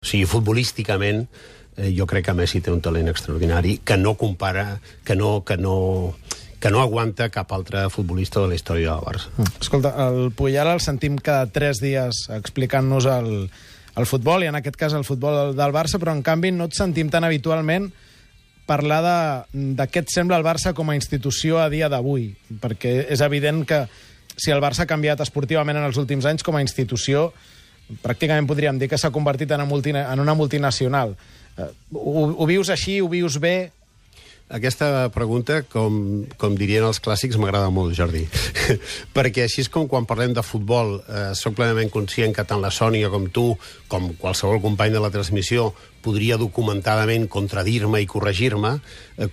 O sigui, futbolísticament, jo crec que Messi té un talent extraordinari que no compara, que no aguanta cap altre futbolista de la història del Barça. Escolta, el Puyal el sentim cada 3 dies explicant-nos el futbol, i en aquest cas el futbol del Barça, però en canvi no et sentim tan habitualment parlar de què et sembla el Barça com a institució a dia d'avui, perquè és evident que si el Barça ha canviat esportivament en els últims anys com a institució, pràcticament podríem dir que s'ha convertit en una multinacional. Ho vius així, ho vius bé? Aquesta pregunta, com dirien els clàssics, m'agrada molt, Jordi. Perquè així és com quan parlem de futbol, soc plenament conscient que tant la Sònia com tu, com qualsevol company de la transmissió, podria documentadament contradir-me i corregir-me.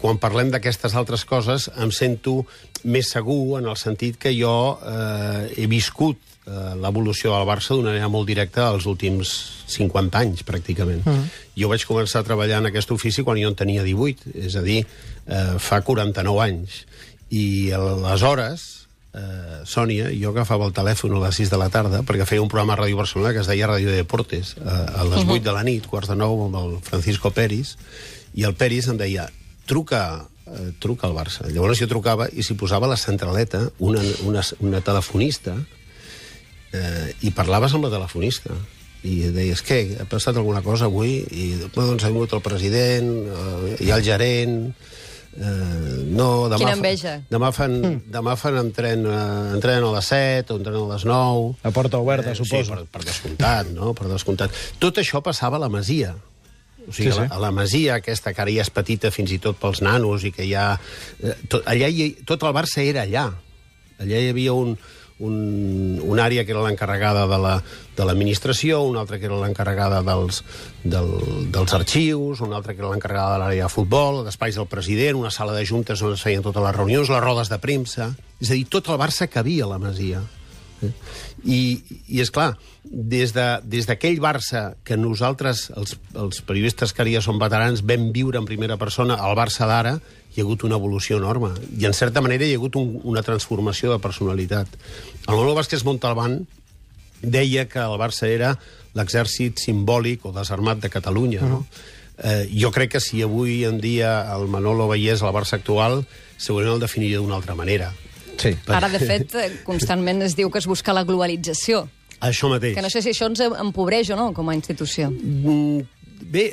Quan parlem d'aquestes altres coses, em sento més segur en el sentit que jo he viscut l'evolució del Barça d'una manera molt directa els últims 50 anys, pràcticament. Jo vaig començar a treballar en aquest ofici quan jo en tenia 18, és a dir, fa 49 anys. I aleshores, Sònia, jo agafava el telèfon a les 6 de la tarda perquè feia un programa a Ràdio Barcelona que es deia Ràdio Deportes, a les 8 de la nit, 8:45, amb el Francisco Peris, i el Peris em deia, truca al Barça. Llavors jo trucava i s'hi posava la centraleta, una telefonista, i parlaves amb la telefonista i deies, què, ha passat alguna cosa avui? I doncs ha vingut el president, hi ha el gerent, no, quina enveja. Demà fan entrenen a les 7 o entrenen a les 9. La porta oberta, suposo. Sí, per descomptat, no? Per descomptat. Tot això passava a la Masia. O sigui, sí. A la Masia, aquesta que ara ja és petita fins i tot pels nanos, i que ja... tot el Barça era allà. Allà hi havia una àrea que era l'encarregada de l'administració, una altra que era l'encarregada dels arxius, una altra que era l'encarregada de l'àrea de futbol, d'espais del president, una sala de juntes on es feien totes les reunions, les rodes de premsa... És a dir, tot el Barça cabia a la Masia. I és clar, des d'aquell Barça que nosaltres, els periodistes que ara ja som veterans, vam viure en primera persona, el Barça d'ara, hi ha hagut una evolució enorme. I, en certa manera, hi ha hagut una transformació de personalitat. El Manolo Vázquez Montalbán deia que el Barça era l'exèrcit simbòlic o desarmat de Catalunya. No? Jo crec que si avui en dia el Manolo veiés el Barça actual, segurament el definiria d'una altra manera. Sí. Ara, de fet, constantment es diu que es busca la globalització. Això mateix. Que no sé si això ens empobreix o no, com a institució. Bé,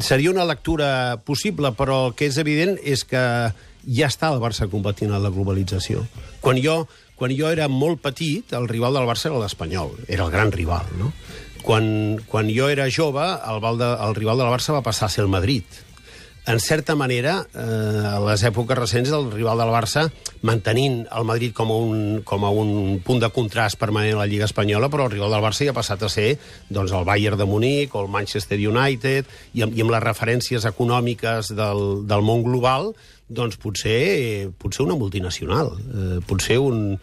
seria una lectura possible, però el que és evident és que ja està el Barça competint en la globalització. Quan jo era molt petit, el rival del Barça era l'Espanyol, era el gran rival, no? Quan jo era jove, el rival del Barça va passar a ser el Madrid. En certa manera, a les èpoques recents, el rival del Barça, mantenint el Madrid com a un punt de contrast permanent a la Lliga Espanyola, però el rival del Barça ja ha passat a ser doncs, el Bayern de Munic o el Manchester United, i amb les referències econòmiques del món global, doncs potser una multinacional, potser un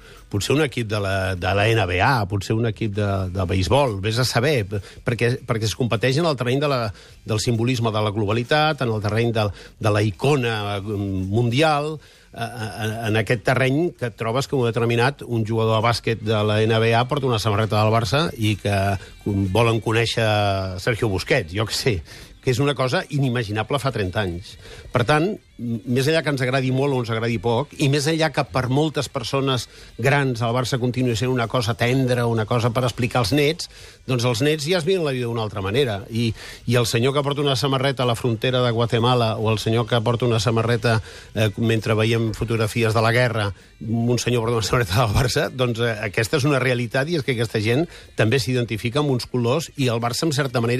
equip de la NBA, potser un equip de beisbol, vés a saber, perquè es competeix en el terreny del simbolisme de la globalitat, en el terreny de la icona mundial, en aquest terreny que et trobes que un jugador de bàsquet de la NBA porta una samarreta del Barça i que volen conèixer Sergio Busquets, jo què sé, que és una cosa inimaginable fa 30 anys. Per tant, més enllà que ens agradi molt o ens agradi poc, i més enllà que per moltes persones grans el Barça continua sent una cosa tendra, una cosa per explicar als nets, doncs els nets ja es miren la vida d'una altra manera. I el senyor que porta una samarreta a la frontera de Guatemala o el senyor que porta una samarreta mentre veiem fotografies de la guerra, un senyor porta una samarreta del Barça, doncs aquesta és una realitat, i és que aquesta gent també s'identifica amb uns colors, i el Barça, en certa manera,